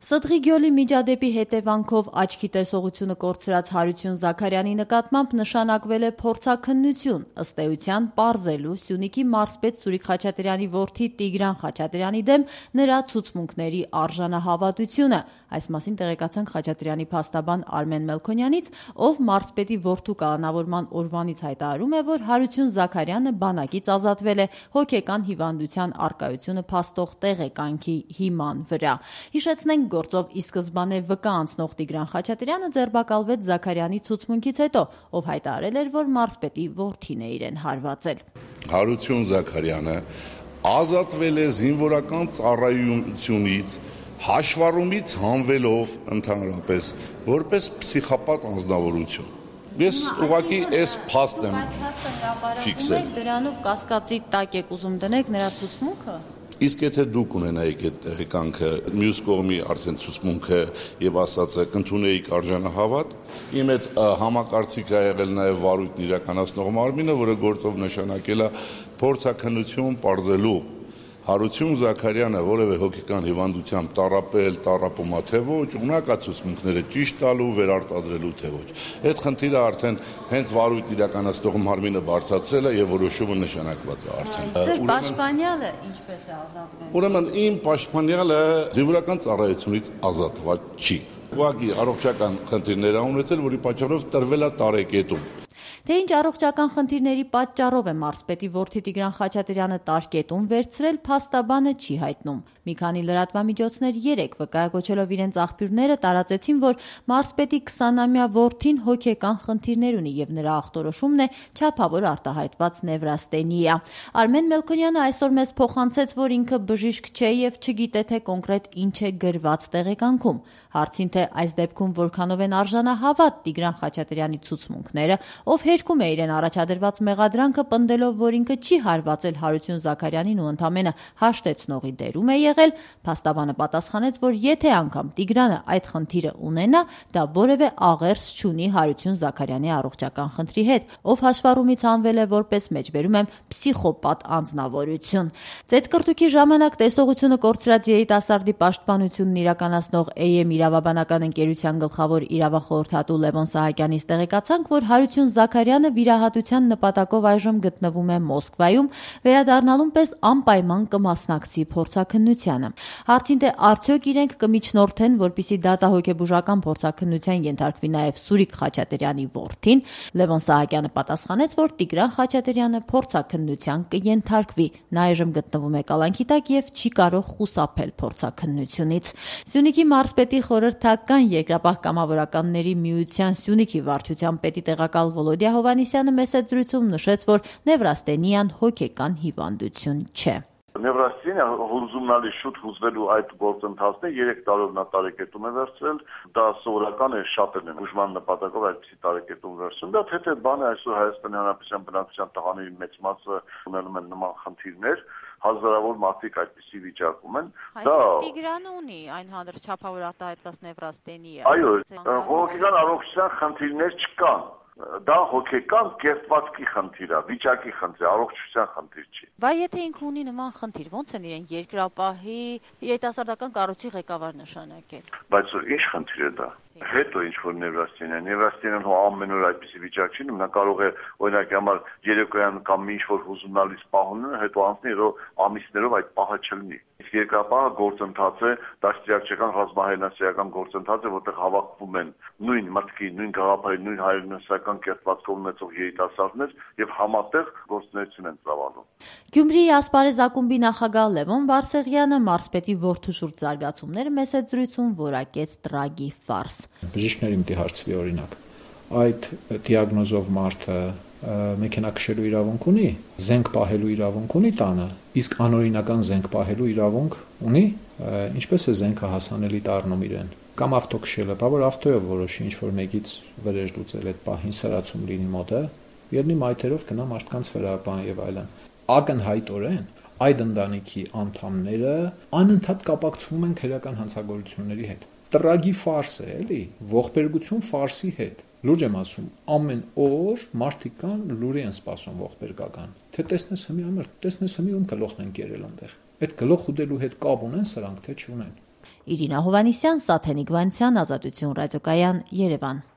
Սդղի գյոլի միջադեպի հետևանքով աչքի տեսողությունը կորցրած Հարություն Զաքարյանի նկատմամբ նշանակվել է փորձաքննություն, ըստ էության պարզելու Սյունիքի մարզպետ Սուրիկ Խաչատրյանի որդի Տիգրան Խաչատրյանի դեմ նրա ցուցմունքների արժանահավատությունը։ Այս մասին տեղեկացանք Խաչատրյանի փաստաբան Արմեն Մելքոնյանից, ով մարզպետի որդու կալանավորման օրվանից հայտարարում է, որ Հարություն Զաքարյանը բանակից ազատվել է հոգեկան հիվանդության առկայությունը փաստող տեղեկանքի հիման վրա։ Հիշեցնենք, գործով ի սկզբանե վկա անցնող Տիգրան Խաչատրյանը ձերբակալվեց Զաքարյանի ցուցմունքից հետո, ով հայտարարել էր, որ մարզպետի որդին է իրեն հարվածել։ Հարություն Զաքարյանը ազատվել է զինվորական ծառայությունից հաշվառումից հանվելով ընդհանրապես որպես պսիխոպատ անձնավորություն։ Ես ուղղակի այս փաստն եմ ֆիքսել։ Դրանով կասկածի տակ եք ուզում դնեք նրա ցուցմունքը։ Իսկ եթե դուք ունենայիք այդ տեղեկանքը, մյուս կողմի արդեն ցուցմունքը եւ ասածը կընդունեիք արժանահավատ, իմ այդ համակարծիքը ա եղել նաեւ վարույթն իրականացնող մարմինը, որը գործով նշանակել է փորձաքննություն պարզելու Հարություն Զաքարյանը որևէ հոգեկան հիվանդությամբ տառապել, տառապումա թե ոչ, ունակա ցուցմունքները ճիշտ տալու, վերարտադրելու թե ոչ։ Այդ խնդիրը արդեն հենց վարույթ իրականացնող մարմինը բարձրացրել է եւ որոշումը նշանակված է արդեն։ Ձեր պաշտպանյալը ինչպես է ազատվել։ Ուրեմն իմ պաշտպանյալը զինվորական ծառայությունից ազատված չի։ Ուղղակի առողջական խնդիրներ ա ունեցել, որի պատճառով տրվել է տարեկետում։ Թե ինչ առողջական խնդիրների պատճառով է մարզպետի որդի Տիգրան Խաչատրյանը տարկետում վերցրել, փաստաբանը չի հայտնում։ Մի քանի լրատվամիջոցներ երեկ վկայակոչելով իրենց աղբյուրները տարածեցին, որ մարզպետի 20-ամյա որդին հոգեկան խնդիրներ ունի եւ նրա ախտորոշումն է չափավոր արտահայտված նևրաստենիա։ Արմեն Մելքոնյանը այսօր մեզ փոխանցեց, որ ինքը բժիշկ չէ եւ չգիտե թե կոնկրետ ինչ է գրված տեղեկանքում։ Հարցին թե այս դեպքում որքանով են արժանահավատ Տիգրան Խաչատրյանի ցուցմունքները, ով հերքում է իրեն առաջադրված մեղադրանքը, պնդելով, որ ինքը չի հարվածել Հարություն Զաքարյանին ու ընդամենը հաշտեցնողի դերում է եղել, փաստաբանը պատասխանեց, որ եթե անգամ Տիգրանը այդ խնդիրը ունենա, դա որևէ աղերս չունի Հարություն Զաքարյանի առողջական խնդրի հետ, ով հաշվառումից հանվել է որպես մեջբերում եմ պսիխոպատ անձնավորություն։ Ծեծկռտուքի ժամանակ տեսողությունը կորցրած երիտասարդի պաշտպանությունն իրականացնող AM իրավաբանական ընկերության գլխավոր իրավախորհրդատու Լևոն Սահակյանից տեղեկացանք, որ Հարություն Զաքարյանը վիրահատության նպատակով այժմ գտնվում է Մոսկվայում, վերադառնալուն պես անպայման կմասնակցի փորձաքննությանը։ Հարցին թե արդյոք իրենք կմիջնորդեն, որպեսզի դատահոգեբուժական փորձաքննության ենթարկվի նաև Սուրիկ Խաչատրյանի որդին, Լևոն Սահակյանը պատասխանեց, որ Տիգրան Խաչատրյանը փորձաքննության կենթարկվի։ Նա այժմ գտնվում է կալանքի տակ եւ չի կարող խուսափել փորձաքննությունից։ Սյունիքի մարզպետի խորհրդական երկրապահ կամավորականների միության Սյունիքի վարչության պետի տեղակալ Վոլոդիա Հովհաննիսյանը մեծ զրույցում նշեց, որ նևրաստենիան հոգեկան հիվանդություն չէ։ Նևրաստենիա հուզումնալի շուտ հուզվելու այդ գործընթացն է 3 տարով նա տարեկետում է վերցրել, դա սովորական է, շատերն են ուժման նպատակով այդպիսի տարեկետում վերցրել, դա թե բանը այսօր Հայաստանի Հանրապետության բնակչության տղաների մեծ մասը ունենում են նման խնդիրներ, հազարավոր մարդիկ այդպիսի վիճակում են, դա Տիգրանը ունի այն հանրաչափավոր արտահայտված նևրաստենիա։ Այո, հոգեկան առողջության խնդիրներ չկան։ Դա հոգեկան կերպվածքի խնդիր է, վիճակի խնդիր, առողջության խնդիր չի։ Բայց եթե ինքը ունի նման խնդիր, ոնց են իրեն երկրապահի երիտասարդական կառույցի ղեկավար նշանակել։ Բայց ինչ խնդիր է դա։ Հետո ինչ որ նևրաստենիան ամեն օր այդպիսի վիճակ չի, նա կարող է օրինակի համար երեկոյան կամ ինչ որ հուզումնալից պահում, հետո անցնի, հետո ամիսներով այդ պահը չլինի։ Իսկ երկրապահը գործընթաց է, դաստիարակչական ռազմահայրենասիրական գործընթաց է, որտեղ հավաքվում են նույն մտքի, նույն գաղափարի, նույն հայրենասիրական կերպվածքով ունեցող երիտասարդներ եւ համատեղ գործունեություն են ծավալում։ Գյումրիի Ասպարեզ ակումբի նախագահ Լևոն Բարսեղյանը մարզպետի որդու շուրջ զարգացումները մեծ զրույցում որակեց տրագի ֆարս։ Բժիշկների մտի հարցվի օրինակ, այդ դիագնոզով մարդը մեքենա քշելու իրավունք ունի, զենք պահելու իրավունք ունի տանը, իսկ անօրինական զենք պահելու իրավունք ունի, ինչպես է զենքը հասանելի դառնում իրեն։ Կամ ավտո քշելը, բա որ ավտոյով որոշի ինչ որ մեկից վրեժ լուծել այդ պահին սրացում լինի մոտը, երնի մայթերով գնա մարդկանց վրա բան եւ այլն։ Ակնհայտորեն այդ ընտանիքի անդամները անընդհատ կապակցվում են քրեական հանցագործությունների հետ։ Տրագի ֆարս է, էլի, ողբերգություն ֆարսի հետ։ Լուրջ եմ ասում, ամեն օր մարդիկ կան լուրի են սպասում ողբերգական։ Թե տեսնես հիմի ում գլոխն են կերել այնտեղ։ Այդ գլոխ ուդելու հետ կապ ունեն սրանք, թե չունեն։ Իրինա Հովհաննիսյան, Սաթենիկ Վանցյան, Ազատություն ռադիոկայան, Երևան։